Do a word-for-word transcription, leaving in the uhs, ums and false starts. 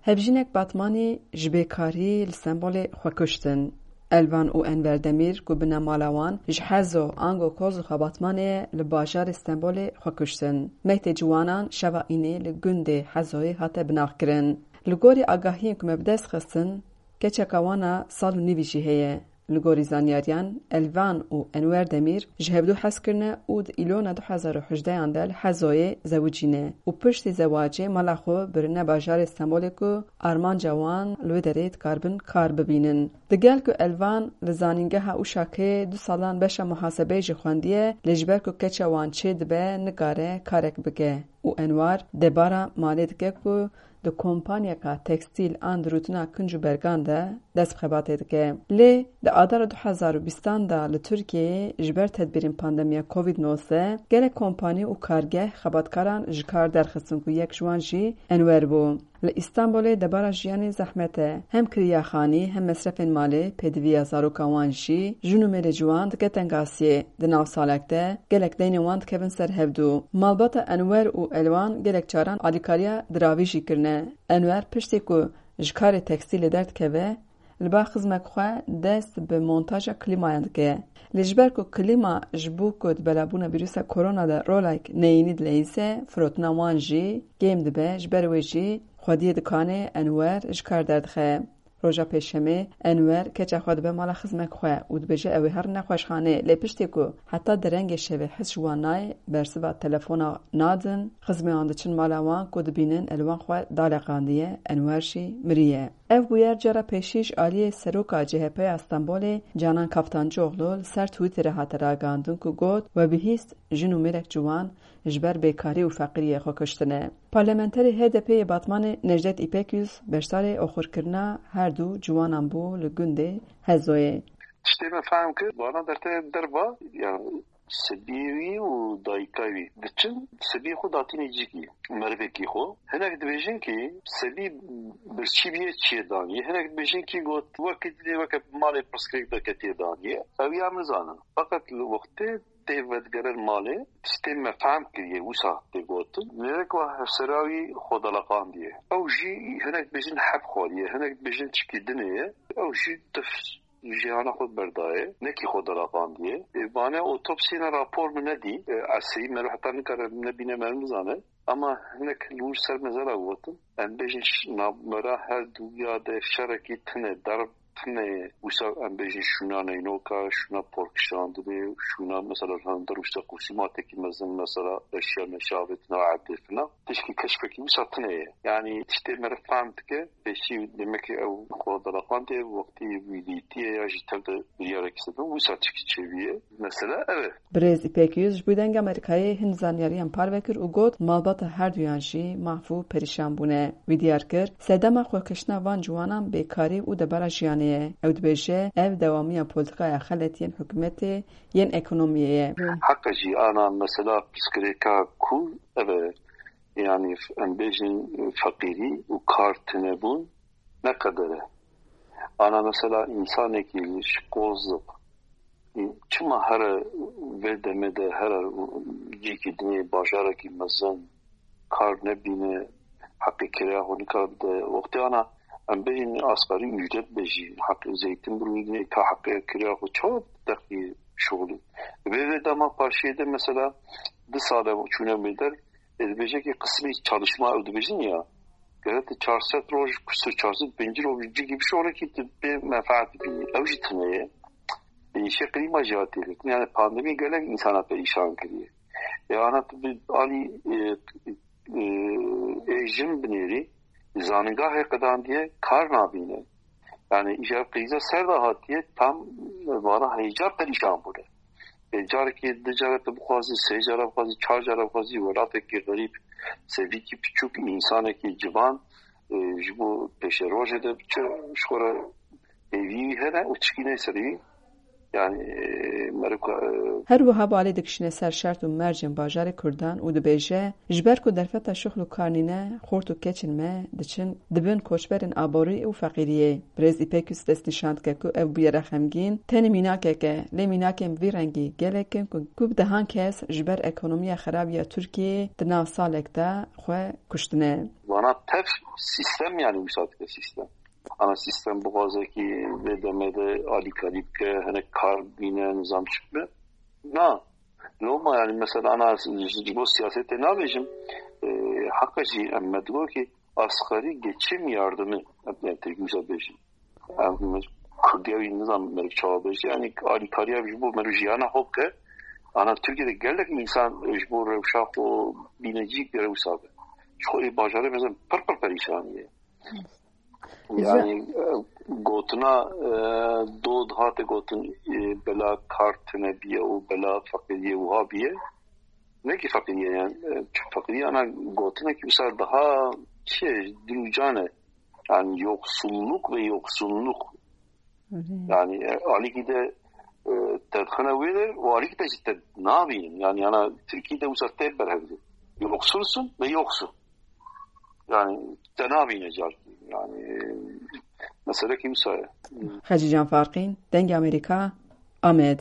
Hevjînek Batmanî ji bêkarî li Stenbolê xwe kuştin. Elvan û Enver Demîr ku binemala wan ji Hezo ango Kozluxa Batmanê ye, li bajarê Stenbolê xwe kuştin. Mektê ciwanan şeva înê li gundê Hezoyê hate binaxkirin. Li gorî agahiyên ku me bi dest xistin, keçeka wan a sal û nîvî jî heye. Li gorî zanyariyan, Elvan û Enwer Demîr ji hevdû hez kirine û di Îlona du hezar û hejdeyan de li Hezoyê zewicîne û piştî zewacê mala xwe birine bajarê Stenbolê ku armanca wan li wê derê dikaribin kar bibînin. Digel ku Elvan li zanîngeha Uşakê du salan beşa muhasebeyê jî xwendiye, lê ji ber ku keça wan çêdibe, nikare karek bike û Enwar debara malê dike ku di kompanyeka tekstîl an di rûtina kinc û bergan de dest bi xebatê dike. Lê di Adara du hezar û bîstan de li Tirkiyeyê ji ber tedbîrên pandemiya Covid nozdeh gelek kompanî û kargeh xebatkaran ji kar derxistin ku yek ji wan jî Enwer bû. Li Îstanbulê debara jiyanê zehmet e. Hem kiriya xanî hem mesrefên malê, pêdiviya zaroka wan jî, jin û mêrê ciwan dike tengasiyê. Di nav salek de gelek deynên wan dikevin ser hevdû. Malbata Enwer û Elvan gelek caran alîkariya diravî jî kirine. Enwer piştî ku ji karê tekstîlê derdikeve, li ba xizmek xwe dest bi montaja klîmayan dike. Lê ji ber ku klîma ji bo ku di belabûna vîrusa korona de rolek neyînî dileyîze, firotina wan jî kêm dibe, ji ber wê jî xwediyê dikanê Enwer ji kar derdixe. Roja Pêşemê Enwer keça xwe dibe mala xizmek xwe û dibêje ew ê herin nexweşxanê, lê piştê ku heta derengê şevê his ji wan nayê, bersiva telefona nadin, xizmê wan diçin mala wan ku dibînin Elvan xwe daleqandiye, Enwer jî miriye. Ev bûyer cara pêşî ji aliyê seroka C H P ya Stenbolê Canan Kaftancıoğlu li ser Twitterê hate ragihandin ku got, we bihîst jin û mêrek ciwan ji ber bêkarî û feqîriyê xwe kuştine. Parlamenterê H D P yê Batmanê Necdet Îpekyüz beşdarê oxirkirina her du ciwanan bû li gundê Hezoyê. Tiştê me fehm kir, vana dertê derva, yani sebiyê wî û dayika wî diçin, sebiyê xwe datînê cîkî, merivekî xwe. Hinek dibêjin ki sebî birçî bîye çiyê danî. Hinek dibêjin ki got, weke dilê weke malê pirsgirêk de ketiye danî. Ew ya min zanin. Fakat li wextê tê vedigerin malê, tiştê me fehm kiriye, wisa tê gotin. Mêrek wa hevsera wî xwe deleqandiye. Ew jî hinek dibêjin heb xwariye, hinek dibêjin çikî dinê ye. Ew jî tif jiyana xwe berdaye, nekî xwe deleqandiye. Ê, vane otopsiyê ne rapor min nedî. Ê, eseyî me heta nikare nebîne me nizane. Ama hinek li wir ser mezela gotin. Em bêjin ş-, navbera her duya de şerekî tune, derb tune ye. Wisa em bêjin şûna neynoka, şûna porkişandinê, şûna mesela li hundir wisa qûsîmatekî mezin mesela eşya meşa avêtina erdê fina. Tişkî keşfekî wisa tune ye. Yani tiştê me re fehm dike. Pêşî demek ki ew xwe deleqandiye, wextî wî dîtiye ya jî tev de biryarek sedin, wisa tişkî çêbûye. Mesela ev e. Birêz Îpek Yûz ji bo Dengê Amerîkayê hin zanyariyan parve kir û got, malbata herduyan jî mahf û perîşan bûne. Wî diyar kir, sedema xwekiştina van ciwanan bêkarî û debara jiyanê ye. Ew dibêje, ev dewamiya polîtîkaya xelet yên hikûmetê yên ekonomiyê ye. Heqa jî ana mesela pirsgirêka ku ev e, yani em bêjin feqîrî û kar tunebûn ne qeder e. Ana mesela însanekî ji Qozlix çima here vê demê de here cîkî dinê bajarekî mezin kar nebîne, heqê kiraya xwe nikare bide. Wextê ana em bêjin asgarî ücret be jî, heqê zeytin birûnê ka heqê kiraya xwe çawa derxî şixulî. Vê vê dema parşiyê de mesela du sale çûne mêder, e, dibêje ki qismî çalışma ew dibêjin ya, gerek çar sed roj, kusur çar sed pêncî roj cîkî bişorekî tu pê menfaet bînî. Ew jî tune ye. Êşe klîma jî hatiye girtin. Yani pandemî gelek însana perîşan kiriye. E, ana tu bi alî, e, e, ê jin binêrî, zanîngahê qedandiye kar nabîne. Yani îcar krîza ser de hatiye tam vana hêja perîşan bûne. E, carekî du cara tu bixwazî, sê cara bixwazî, çar cara bixwazî, welatekî xerîb, sevîkî piçûk, însanekî civan, e, ji bo pêşerojê de biçe, ji xwe re hêvî wî hene û tişkî neyê serî wî. Yani, e, merika, e, Her wiha balê dikişîne ser şert û mercên bajarê Kurdan û dibêje, ji ber ku derfeta şixul û kar nîne, xort û keçên me diçin dibin koçberên aborî û feqîriyê. Birêz Îpek Yûz destnîşan dike ku ev bûyera xemgîn tenê mînakek e, lê mînakên vî rengî gelek in ku, ku bi dehan kes ji ber ekonomiya xerab ya Tirkiyeyê di nav salek de xwe kuştine. Bana tev sistem, yani wisa dike sistem. Ana sistem bixwaze ki vê demê de alîkarî bike, hinek kar bîne, nizam çi bibe. Na. Loma yani mesela ana ji, ji bo siyasetê nabêjim. E, haka jî em me digo ki asgari geçim yardımı, yani tek wisa bêjim. Em Kurdiya wî nizam meriv çawa bêjî. Yani alîkariya ji bo meriv jiyana xwe bike. Ana Tirkiyeyê de gelek insan ji bo rewşa xwe bînecî gere wisa be. Ji xwe ê bajarê mesela pir pir perîşanî ye. Yani e, gotina e, dod hate gotin e, bela kar tune biye û bela feqîriyê wiha biye. Ne ki feqîriyê yani. E, çünkü feqîriyê ana gotinek wisa daha çi ye, dilûcan e. Yani yoksulluk ve yoksunluk. Yani e, alîkî de e, te dixine wê de û alîkî te jî te nabînin. Yani yana Tirkî de wisa te berhevdin. Yoksulsun ve yoksul. Yani te nabîne carkî. Yani e, mesele ki wisa ye. Xecîcan Farqîn, Dengê Amerîka, Amed.